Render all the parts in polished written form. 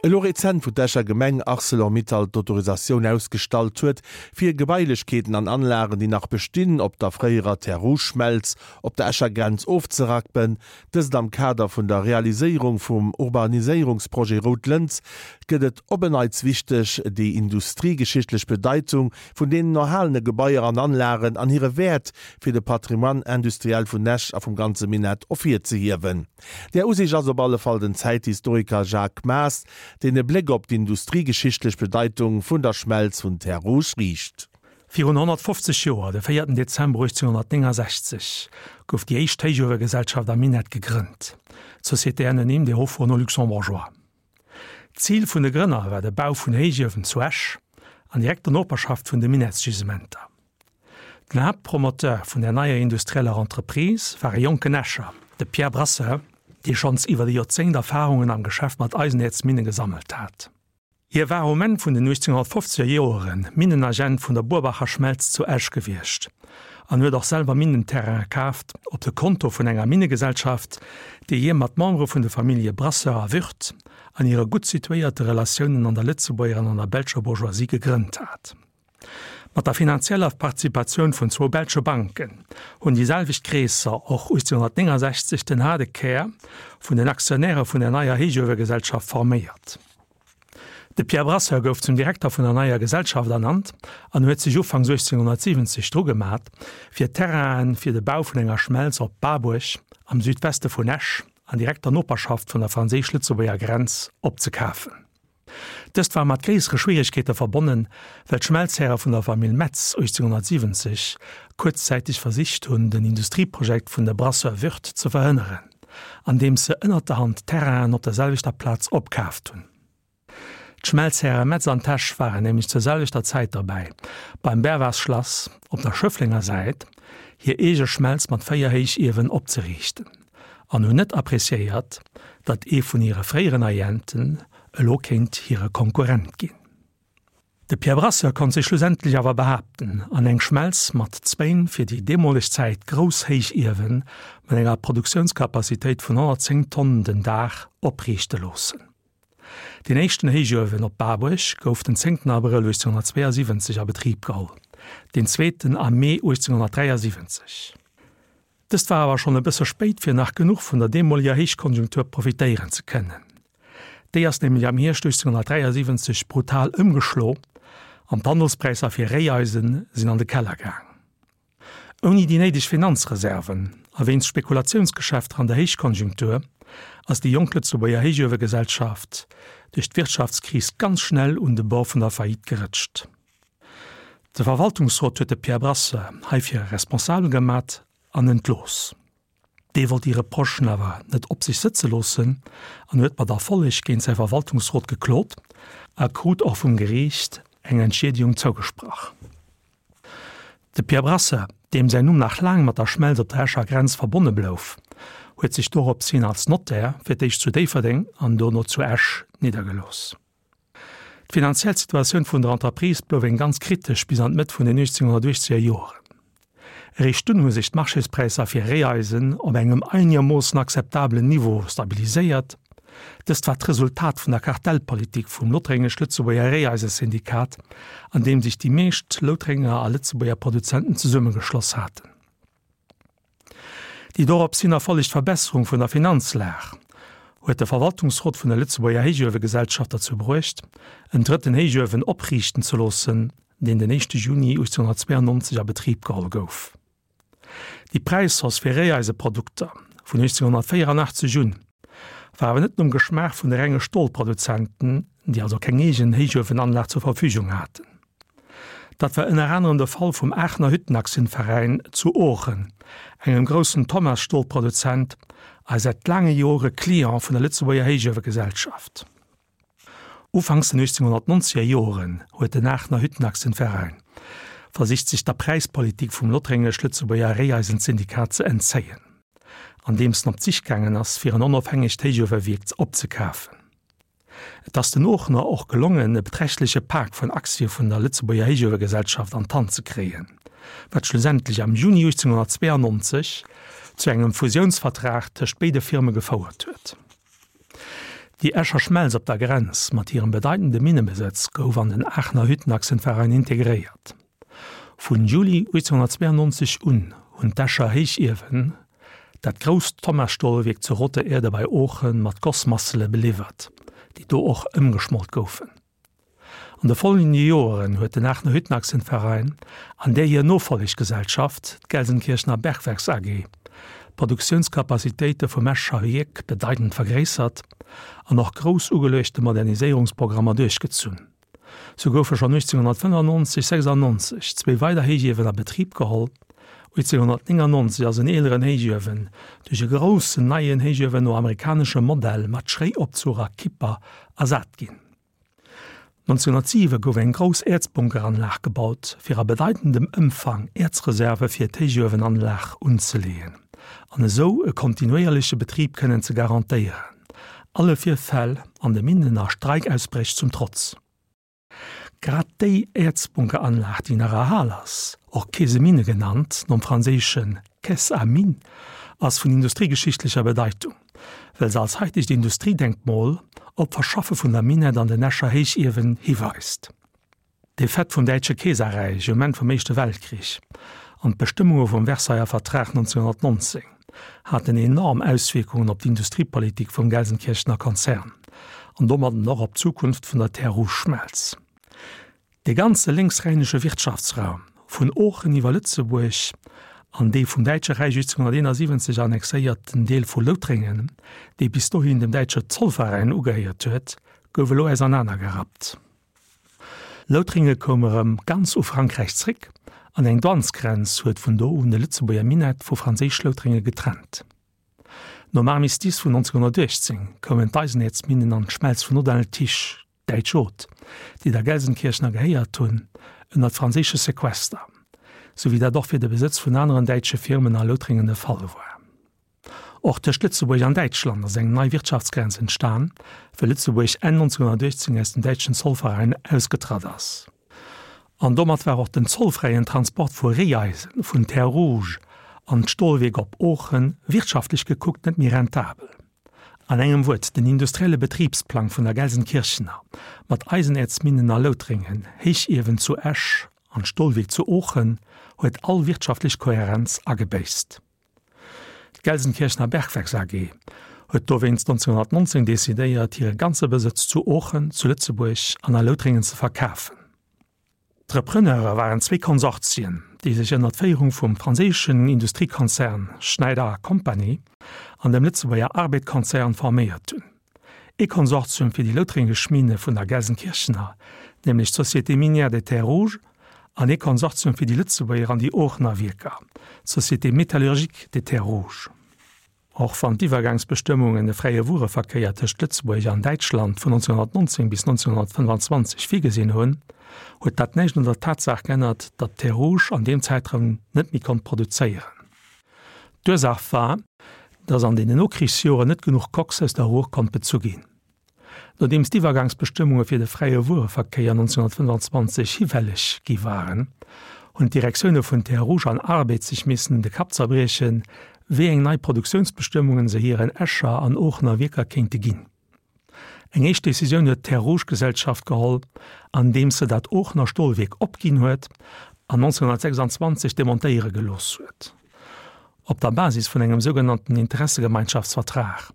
Elo rezent, wou d'Escher Gemeng Arcelor-Mittal d'Autorisatioun ausgestallt huet, fir Gebailechkeeten an Anlagen, déi nach bestinn, op der fréierer Terre Rouge-Schmelz op der Escher Grenz ofzerappen, dëst am Kader vun der Realiséierung vum Urbaniséierungsprojet Rout Lëns, gëtt et op en Neits wichteg, déi industriegeschichtlech Bedeitung vun deenen erhalene Gebaier an Anlagen an hire Wäert fir de Patrimoine industriel vun Esch a vum ganze Minett ervirzehiewen. Där Usiicht ass op alle Fall den Zäithistoriker Jacques Maas, deen e Bléck op d'industriegeschichtlech Bedeitung vun der Schmelz vun Terres Rouges riicht. Virun 150 Joer, de véierten Dezember 1869, gouf déi éischt Héichuewegesellschaft am Minett gegrënnt, d'Société anonyme des hauts-fourneaux luxembourgeois. D'Zil vun de Grënner war de Bau vun Héichiewen zu Esch, an direkter Noperschaft vun de Minettsgisementer. Den Haaptpromoteur vun der neier industrieller Entreprise war e jonken Escher, de Pierre Brasseur, dee schonns iwwer e Joerzéngt Erfarungen am Geschäft mat Eisenäerzminne gesammelt hat. Hie war um Enn vun den 1850er Joere Minnenagent vun der Burbacher Schmelz zu Esch gewiescht an huet och selwer Minnenterraine kaaft op de Konto vun enger Minnegesellschaft, déi hie mat Membere vun de Famillje Brasseur a Würth an hire gutt situéierte Relatiounen an der Lëtzebuerger an an der belscher Bourgeoisie gegrënnt hat. Mat der finanzieller Participatioun vun zwou belsche Banken hunn déi selwecht Kreesser och 1869 den haarde Kär vun den Aktionäre vun der neier Héichuewegesellschaft forméiert. De Pierre Brasseur gouf zum Direkter vun der neier Gesellschaft ernannt an huet sech ufanks 1870 dru gemat, fir Terrainen fir de Bau vun enger Schmelz op Barbuerg am Südweste vun Esch an direkter Noperschaft vun der franséisch-lëtzebuerger Grenz opzekafen. Dëst war mat gréissere Schwieregkeete verbonnen, well d'Schmelzhäre vun der Famill Metz 1870 kuerzzäiteg versicht hunn, den Industrieprojekt vun de Brasseur Würth ze verhënneren, andeems se ënnert der Hand Terrainen op der selwechter Plaz opkaaft hunn. D'Schmelzhäre Metz an Tesch waren nämlech zur selwechter Zäit derbäi, beim Bervas-Schlass op der Schëfflenger Säit hir eege Schmelz mat 4 Héichiewen opzeriichten. An hunn net appreciéiert, datt ee vun hire fréieren Agenten elo kéint hire Konkurrent ginn. De Pierre Brasseur konnt sech schlussendlech awer behaapten an eng Schmelz mat zwéin fir déi deemoleg Zäit grouss Héichiewen mat enger Produktiounscapacitéit vun 110 Tonnen den Dag opriichte loossen. Deen éischten Héichuewen op Barbuerg gouf den 10 Abrëll 1872 a Betrib geholl, deen zweeten am Mee 1873. Dëst war awer schonn e bësse spéit fir nach genuch vun der deemoleger Héichkonjunktur profitéieren ze kënnen. Déi ass nämlech am Hierscht 1873 brutal ëmgeschlo an d'Handelspräisser fir Réieisen sinn an de Keller gaang. Ouni déi néideg Finanzreserven a wéinst Spekulatiounsgeschäfter an der Héichkonjunktur ass déi jonk Lëtzebuerger Héichuewegesellschaft duerch d'Wirtschaftskris ganz schnell un de Bord vun der Faillite gerëtscht. De Verwaltungsrot huet de Pierre Brasseur heifir responsabel gemat an entlooss. Dee wollt déi Reprochen awer net op sech sëtze loossen an huet mat Erfolleg géint säi Verwaltungsrot geklot a krut och vum Geriicht eng Entschiedegung zougesprach. De Pierre Brasseur, deem säin Numm nach laang mat der Schmelz op der Escher Grenz verbonne blouf, huet sech dorops hin als Notaire fir d'éischt zu Déifferdeng an dono zu Esch niddergelooss. D'finanziell Situatioun vun der Entreprise blouf eng ganz kritesch bis an d'Mëtt vun den 1880er Joren. Eréischt dunn hu sech d'Marchéspräisser fir Réieisen op engem einegermoossen akzeptabelen Niveau stabiliséiert. Dëst war d'Resultat vun der Kartellpolitik vum Lothréngesch-Lëtzebuerger Réieisesyndikat, an deem sech déi meescht Loutrénger a Lëtzebuerger Produzenten zesummegeschloss haten. Déi dorops hin erfollegt Verbesserung vun der Finanzlag huet de Verwaltungsrot vun der Lëtzebuerger Héichuewegesellschaft derzou bruecht, en drëtten Héichuewen opriichten ze loossen, deen den éischte Juni 1892 a Betrib geholl gouf. Déi Präishausse fir Réiseiprodukter vun 1884 un war awer net nom Geschmaach vun de renge Stolproduzenten, déi also keng eegen Héichuewenanlag zur Verfügung haten. Dat war ënner anerem de Fall vum Aachener Hüttenaktienveräin zu Oochen, engem groussen Thomas-Stolproduzent a säit laange Jore Client vun der Lëtzebuerger Héichuewegesellschaft. Ufanks den 1890er Joren huet den Aachener Hüttenaktienveräin versicht sech der Präispolitik vum Lothréngesch-Lëtzebuerger Réieisenssyndikat ze entzéien, andeems en op d'Sich gaangen ass fir en onofhängegt Héichuewewierk opzekafen. Et ass den Oochener och gelongen, e beträchtleche Pak vun Aktie vun der Lëtzebuerger Héichuewegesellschaft an d'Hand ze kréien, wat schlussendlech am Juni 1892 zu engem Fusiounsvertrag tëscht béide Firme gefouert huet. Déi Escher Schmelz op der Grenz mat hirem bedeitende Minnebesëtz gouf an den Aachener Hüttenachsenverein integréiert. Vun Juli 1892 un hunn d'Escher Héichiewen dat grousst Thomas-Stolwierk zu Rotte Erde bei Oochen mat Gossmassele beliwwert, déi do och ëmgeschmolt goufen. An de folgende Joeren huet den Aachener Hüttenachsenverein an där hir Nofolleggesellschaft, d'Gelsenkirchener Bergwerks AG, d'Produktiounskapazitéite vum Escher Wierk bedeitend vergréissert an och grouss ugeluechte Moderniséierungsprogrammer duerchgezunn. Sou goufe schonn 1895, 96 zwéi weider Héichiewen a Betrib geholl. 1899 ass en eeleren Héichuewen duerch e groussen neien Héichuewen no amerikaneschem Modell mat Schréiopzuch a Kipper ersat ginn. 1907 gouf eng grouss Äerzbunkeranlag gebaut, fir a bedeitendem Ëmfang Äerzreserve fir d'Héichuewenanlag unzeleeën an esou e kontinuéierleche Betrib kënnen ze garantéieren, alle Virfäll an de Minnen a Streikausbréch zum Trotz. Grad déi Äerzbunkeranlag, déi nach erhal ass, och Caisse Mine genannt, nom franséische Caisse à mines, ass vun industriegeschichtlecher Bedeitung. well se als haitegt Industriedenkmol op d'Verschaffe vun der Minett an den Escher Héichiewen hiweist. D'Defaite vum Däitsche Keeserräich um Enn vum Éischte Weltkrich an d'Bestëmmunge vum Versailler Vertrag 1919 haten enorm Auswierkungen op d'Industriepolitik vum Gelsenkirchener Konzern an domadden och op d'Zukunft vun der Terre Rouge Schmelz. Dee ganze lénksrhäinesche Wirtschaftsraum, vun Oochen iwwer Lëtzebuerg an dee vum Däitsche Räich 1871 annexéierten Deel vu Loutrengen, dee bis dohin dem däitsche Zollveräin ugehéiert huet, gouf elo ausernanergerappt. Loutringe koum erëm ganz u Frankräich zréck an eng Douanesgrenz huet vun do un de Lëtzebuerger Minett vu Franséisch-Loutringe getrennt. Nom Armistice vun 1918 koumen d'Eisenäerzminnen an d'Schmelz vun Audun-le-Tiche, Däitsch Haute, déi der Gelsenkirchener gehéiert hunn, ënnert franséische Sequester, sou wéi dat och fir de Besëtz vun aneren däitsche Firmen a Loutrengen de Fall war. Och tëscht Lëtzebuerg an Däitschland ass eng nei Wirtschaftsgrenz entstan, wëll Lëtzebuerg Enn 1918 aus dem däitschen Zollveräin ausgetratt ass. An domat war och den zollfräien Transport vu Réieisen vun Terre Rouge an d'Stolwierk op Oochen wirtschaftlech gekuckt net méi rentabel. An engem Wuert, den industrielle Betribsplang vun der Gelsenkirchener, mat Eisenäerzminnen a Loutrengen, Héichiewen zu Esch an Stolwierk zu Oochen, huet all wirtschaftlech Kohärenz agebéisst. D'Gelsenkirchener Bergwerks AG huet dowéinst 1919 decidéiert, hire ganze Besëtz zu Oochen, zu Lëtzebuerg an a Loutrengen ze verkafen. D'Repreneure waren zwee Konsortien, déi sech ënner d'Féierung vum franséischen Industriekonzern Schneider Company an dem Lëtzebuerger Arbed-Konzern forméiert hunn. Ee Konsortium fir déi loutréngesch Minne vun der Gelsenkirchener, nämlech d'Société Minière des Terres Rouges, an ee Konsortium fir déi Lëtzebuerger an déi Oochener Wierker, d'Société Métallurgique des Terres Rouges. Och wann d'Iwwergangsbestëmmungen e fräie Wuereverkéier tëscht Lëtzebuerg an Däitschland vun 1919 bis 1925 virgesinn hunn, huet dat näischt un der Tatsaach geännert, datt Terres Rouges an deem Zäitraum net méi konnt produzéieren. D'Ursaach war, datt an deenen Nokrichsjoren net genuch Koks aus der Ruhr konnt bezu ginn. Nodeems d'Iwwergangsbestëmmunge fir de fräie Wuereverkéier 1925 hifälleg gi waren, hunn d'Direktioune vun Terres Rouges an Arbed sech missen de Kapp zerbriechen, wéi eng nei Produktiounsbestëmmungen se hiren Escher an Oochener Wierker kéinte ginn. Eng éischt Decisioun huet d'Terres Rouges-Gesellschaft geholl, andeems se dat Oochener Stolwierk opginn huet an 1926 demontéiere gelooss huet. Op der Basis vun engem sougenannten Interessegemeinschaftsvertrag,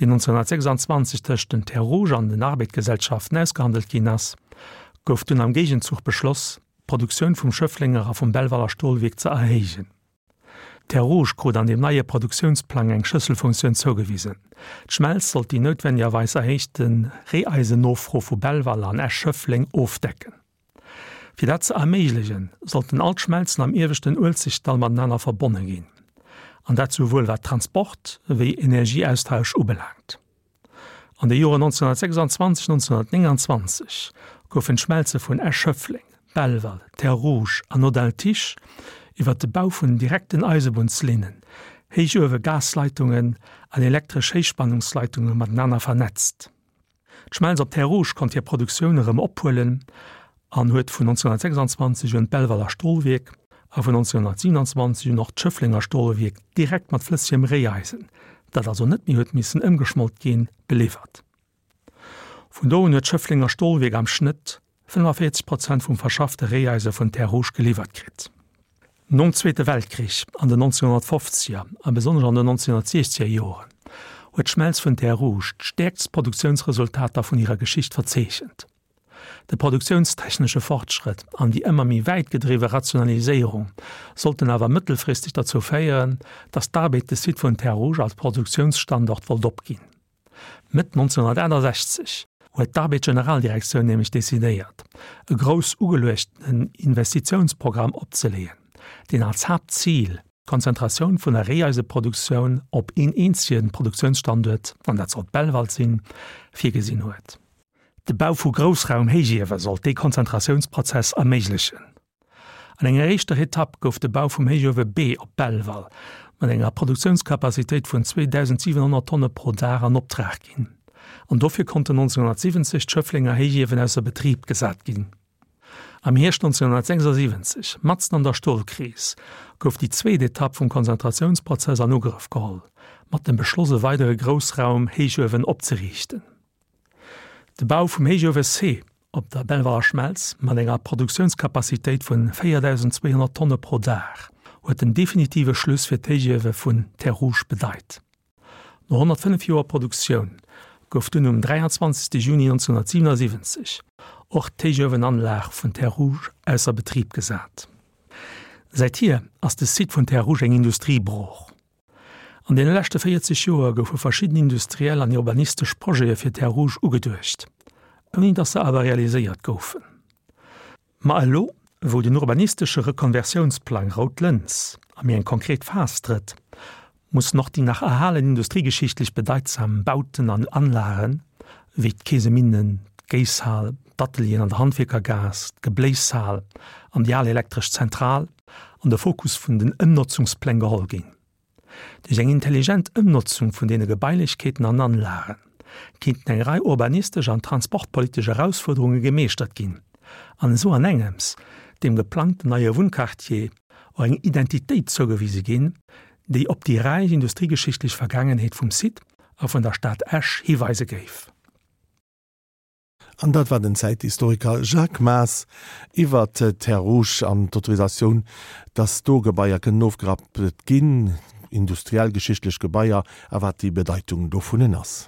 deen 1926 tëscht den Terres Rouges an den Arbed-Gesellschaften ausgehandelt ginn ass, gouf dunn am Géigenzuch beschloss, d'Produktioun vum Schëfflenger a vum Belvaler Stolwierk ze erhéijen. D'Terres Rouges krut an deem neie Produktiounsplang eng Schlësselfunktioun zougewisen, D'Schmelz sollt déi noutwendigerweis erhéichte Reeisennofro vu Belval an Esch-Schëffleng ofdecken. Fir dat ze erméiglechen, sollten all d'Schmelzen am ieweschten Uelzechtdall matenaner verbonne ginn, an dat souwuel wat Transport wéi Energieaustausch ubelaangt. An de Joren 1926, 1929 goufen d'Schmelze vun Esch-Schëffleng, Belval, Terres Rouges an Audun-le-Tiche iwwer de Bau vun direkten Eisebunnslinnen, Héichuewe-Gasleitungen an elektresch Héichspannungsleitunge matenaner vernetzt. D'Schmelz op Terres Rouges konnt hir Produktioun erëm ophuelen an huet vun 1926 un d'Belvaler Stolwierk a vun 1927 un och d'Schëfflenger Stolwierk direkt mat flëssegem Réieisen, dat also net méi huet missen ëmgeschmolt ginn, beliwwert. Vun do un huet d'Schëfflenger Stolwierk am Schnëtt 45 Prozent vum verschaffte Réieise vun Terres Rouges geliwwert kritt. Nom Zweete Weltkrich an den 1950er a besonnesch an den 1960er Joren huet d'Schmelz vun Terres Rouges d'stäerkst Produktiounsresultater vun hirer Geschicht verzeechent. De produktiounstechnesche Fortschrëtt an déi ëmmer méi wäit gedriwwe Rationaliséierung sollten awer mëttelfristeg derzou féieren, datt d'Arbed de Site vun Terres Rouges als Produktiounsstandort wollt opginn. Mëtt 1968 huet d'Arbed-Generaldirektioun nämlech decidéiert, e grouss ugeluechtenen Investitiounsprogramm opzeleeën, deen als Haaptzil d'Konzentratioun vun der Réeiseproduktioun op een eenzege Produktiounsstanduert, an dat sollt Belval sinn, virgesinn huet. De Bau vu Groussraum-Héichiewe sollt dee Konzentratiounsprozess erméiglechen. An enger éischter Etapp gouf de Bau vum Héichuewe B op Belval mat enger Produktiounscapacitéit vun 2.700 Tonne pro Dag an Optrag ginn, an dofir konnten 1970 d'Schëfflenger Héichiewen ausser Betrib gesat ginn. Am Hierscht 1976, matzen an der Stolkris, gouf déi zweet Etapp vum Konzentratiounsprozess an Ugrëff geholl, mat dem Beschloss e weidere Groussraum-Héichuewen opzeriichten. De Bau vum Héichuewe C op der Belvaler Schmelz mat enger Produktiounscapacitéit vun 4.200 Tonne pro Dag huet den definitive Schluss fir d'Héichiewe vun Terres Rouges bedeit. No 105 Joer Produktioun gouf dunn um 23 Juni 1977 och d'Héichuewenanlag vun Terres Rouges ausser Betrib gesat. Säithier ass de Site vun Terres Rouges eng Industriebrooch. An deene leschte 40 Joer goufe verschidden industriell an urbanistesch Projete fir Terres Rouges ugeduecht, ouni datt se awer realiséiert goufen. Ma elo, wou den urbanistesche Rekonversiounsplang Rout Lëns a méi eng konkret Phas trëtt, mussen och déi nach erhalen industriegeschichtlech bedeitsam Bauten an Anlagen, wéi d'Keeseminnen, d'Géisshal, d'Atelieren an der Handwierkergaass, d'Gebléishal an déi al elektresch Zentral, an de Fokus vun den Ëmnotzungspläng geholl ginn. Duerch eng intelligent Ëmnotzung vun deene Gebailechkeeten an Anlage kéinten eng Rei urbanistesch an transportpolitesch Erausfuerderunge gemeeschtert ginn an esou an engems deem geplangten neie Wunnquartier och eng Identitéit zougewise ginn, déi op déi räich industriegeschichtlech Vergaangenheet vum Site a vun der Stad Esch hiweise géif. An dat war den Zäithistoriker Jacques Maas iwwer d'Terres Rouges an d'Autorisatioun, dass do Gebaier kënnen ofgerappt ginn, industriell-geschichtlech Gebaier, a wat déi Bedeitung dovunnen ass.